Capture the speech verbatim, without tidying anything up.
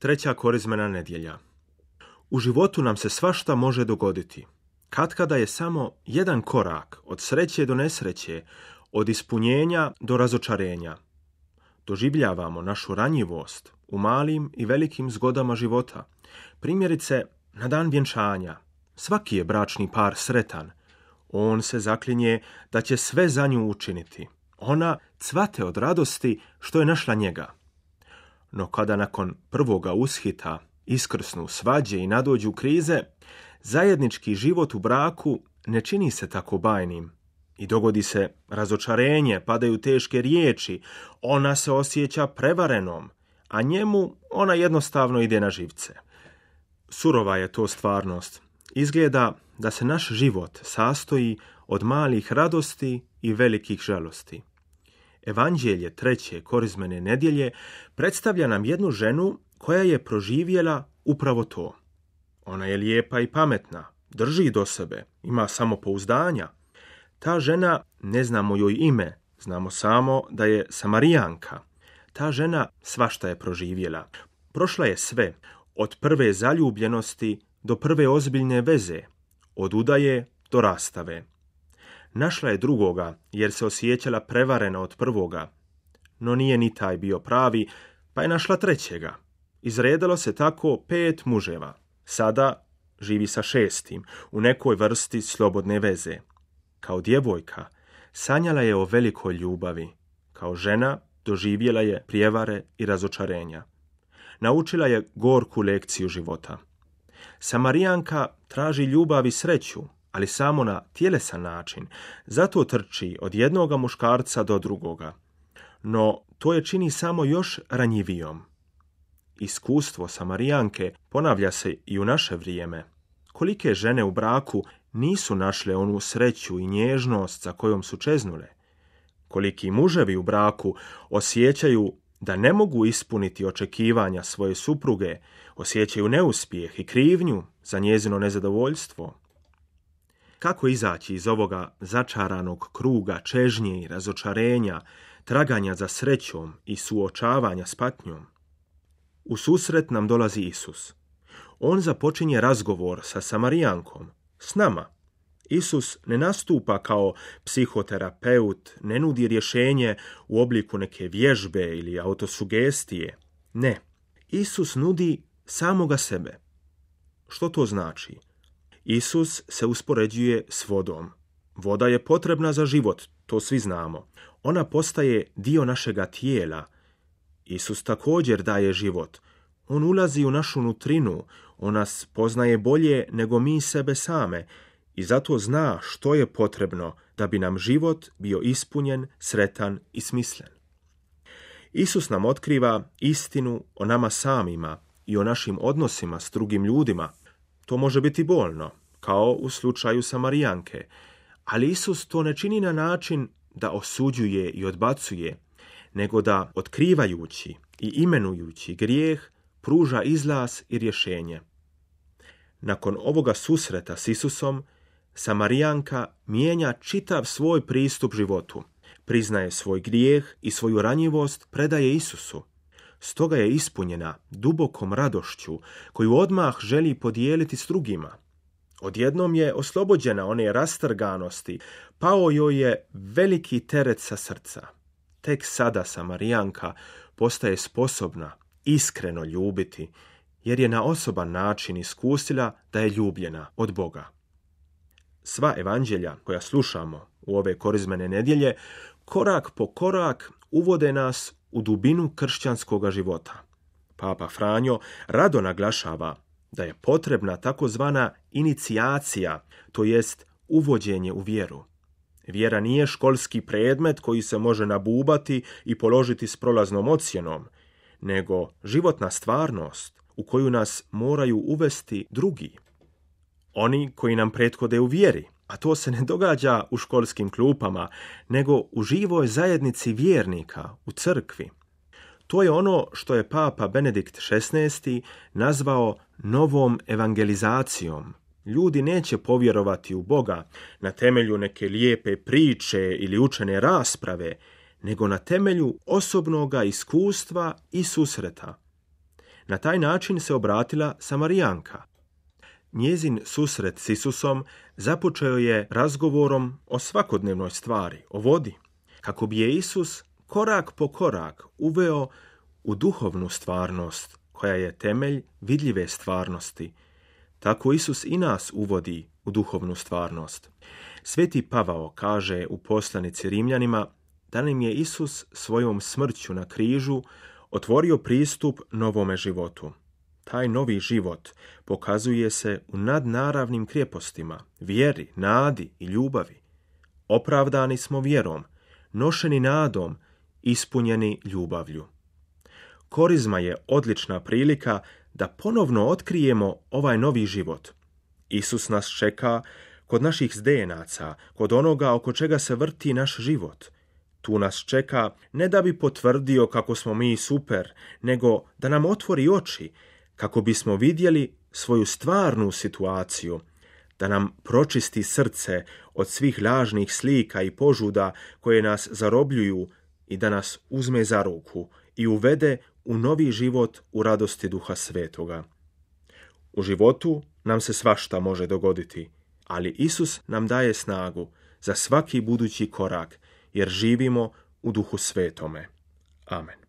Treća korizmena nedjelja. U životu nam se svašta može dogoditi. Katkada je samo jedan korak od sreće do nesreće, od ispunjenja do razočarenja. Doživljavamo našu ranjivost u malim i velikim zgodama života. Primjerice, na dan vjenčanja. Svaki je bračni par sretan. On se zaklinje da će sve za nju učiniti. Ona cvate od radosti što je našla njega. No kada nakon prvoga ushita iskrsnu svađe i nadođu krize, zajednički život u braku ne čini se tako bajnim. I dogodi se razočarenje, padaju teške riječi, ona se osjeća prevarenom, a njemu ona jednostavno ide na živce. Surova je to stvarnost. Izgleda da se naš život sastoji od malih radosti i velikih žalosti. Evanđelje treće korizmene nedjelje predstavlja nam jednu ženu koja je proživjela upravo to. Ona je lijepa i pametna, drži do sebe, ima samopouzdanja. Ta žena, ne znamo joj ime, znamo samo da je Samarijanka. Ta žena svašta je proživjela. Prošla je sve, od prve zaljubljenosti do prve ozbiljne veze, od udaje do rastave. Našla je drugoga, jer se osjećala prevarena od prvoga. No nije ni taj bio pravi, pa je našla trećega. Izredalo se tako pet muževa. Sada živi sa šestim, u nekoj vrsti slobodne veze. Kao djevojka sanjala je o velikoj ljubavi. Kao žena doživjela je prijevare i razočarenja. Naučila je gorku lekciju života. Samarijanka traži ljubav i sreću, ali samo na tjelesan način. Zato trči od jednoga muškarca do drugoga. No to je čini samo još ranjivijom. Iskustvo Samarijanke ponavlja se i u naše vrijeme. Kolike žene u braku nisu našle onu sreću i nježnost za kojom su čeznule. Koliki muževi u braku osjećaju da ne mogu ispuniti očekivanja svoje supruge, osjećaju neuspjeh i krivnju za njezino nezadovoljstvo. Kako izaći iz ovoga začaranog kruga čežnje i razočarenja, traganja za srećom i suočavanja s patnjom? U susret nam dolazi Isus. On započinje razgovor sa Samarijankom, s nama. Isus ne nastupa kao psihoterapeut, ne nudi rješenje u obliku neke vježbe ili autosugestije. Ne, Isus nudi samoga sebe. Što to znači? Isus se uspoređuje s vodom. Voda je potrebna za život, to svi znamo. Ona postaje dio našega tijela. Isus također daje život. On ulazi u našu nutrinu, on nas poznaje bolje nego mi sebe same i zato zna što je potrebno da bi nam život bio ispunjen, sretan i smislen. Isus nam otkriva istinu o nama samima i o našim odnosima s drugim ljudima. To može biti bolno, kao u slučaju Samarijanke, ali Isus to ne čini na način da osuđuje i odbacuje, nego da, otkrivajući i imenujući grijeh, pruža izlaz i rješenje. Nakon ovoga susreta s Isusom, Samarijanka mijenja čitav svoj pristup životu. Priznaje svoj grijeh i svoju ranjivost predaje Isusu. Stoga je ispunjena dubokom radošću koju odmah želi podijeliti s drugima. Odjednom je oslobođena one rastrganosti, pao joj je veliki teret sa srca. Tek sada Samarijanka postaje sposobna iskreno ljubiti, jer je na osoban način iskusila da je ljubljena od Boga. Sva evanđelja koja slušamo u ove korizmene nedjelje, korak po korak uvode nas u dubinu kršćanskog života. Papa Franjo rado naglašava da je potrebna takozvana inicijacija, to jest uvođenje u vjeru. Vjera nije školski predmet koji se može nabubati i položiti s prolaznom ocjenom, nego životna stvarnost u koju nas moraju uvesti drugi. Oni koji nam prethode u vjeri, a to se ne događa u školskim klupama, nego u živoj zajednici vjernika, u crkvi. To je ono što je Papa Benedikt šesnaesti nazvao novom evangelizacijom. Ljudi neće povjerovati u Boga na temelju neke lijepe priče ili učene rasprave, nego na temelju osobnoga iskustva i susreta. Na taj način se obratila Samarijanka. Njezin susret s Isusom započeo je razgovorom o svakodnevnoj stvari, o vodi, kako bi je Isus korak po korak uveo u duhovnu stvarnost, koja je temelj vidljive stvarnosti. Tako Isus i nas uvodi u duhovnu stvarnost. Sveti Pavao kaže u poslanici Rimljanima da nam je Isus svojom smrću na križu otvorio pristup novome životu. Taj novi život pokazuje se u nadnaravnim krijepostima, vjeri, nadi i ljubavi. Opravdani smo vjerom, nošeni nadom, ispunjeni ljubavlju. Korizma je odlična prilika da ponovno otkrijemo ovaj novi život. Isus nas čeka kod naših zdenaca, kod onoga oko čega se vrti naš život. Tu nas čeka ne da bi potvrdio kako smo mi super, nego da nam otvori oči, kako bismo vidjeli svoju stvarnu situaciju, da nam pročisti srce od svih lažnih slika i požuda koje nas zarobljuju i da nas uzme za ruku i uvede u novi život u radosti Duha Svetoga. U životu nam se svašta može dogoditi, ali Isus nam daje snagu za svaki budući korak, jer živimo u Duhu Svetome. Amen.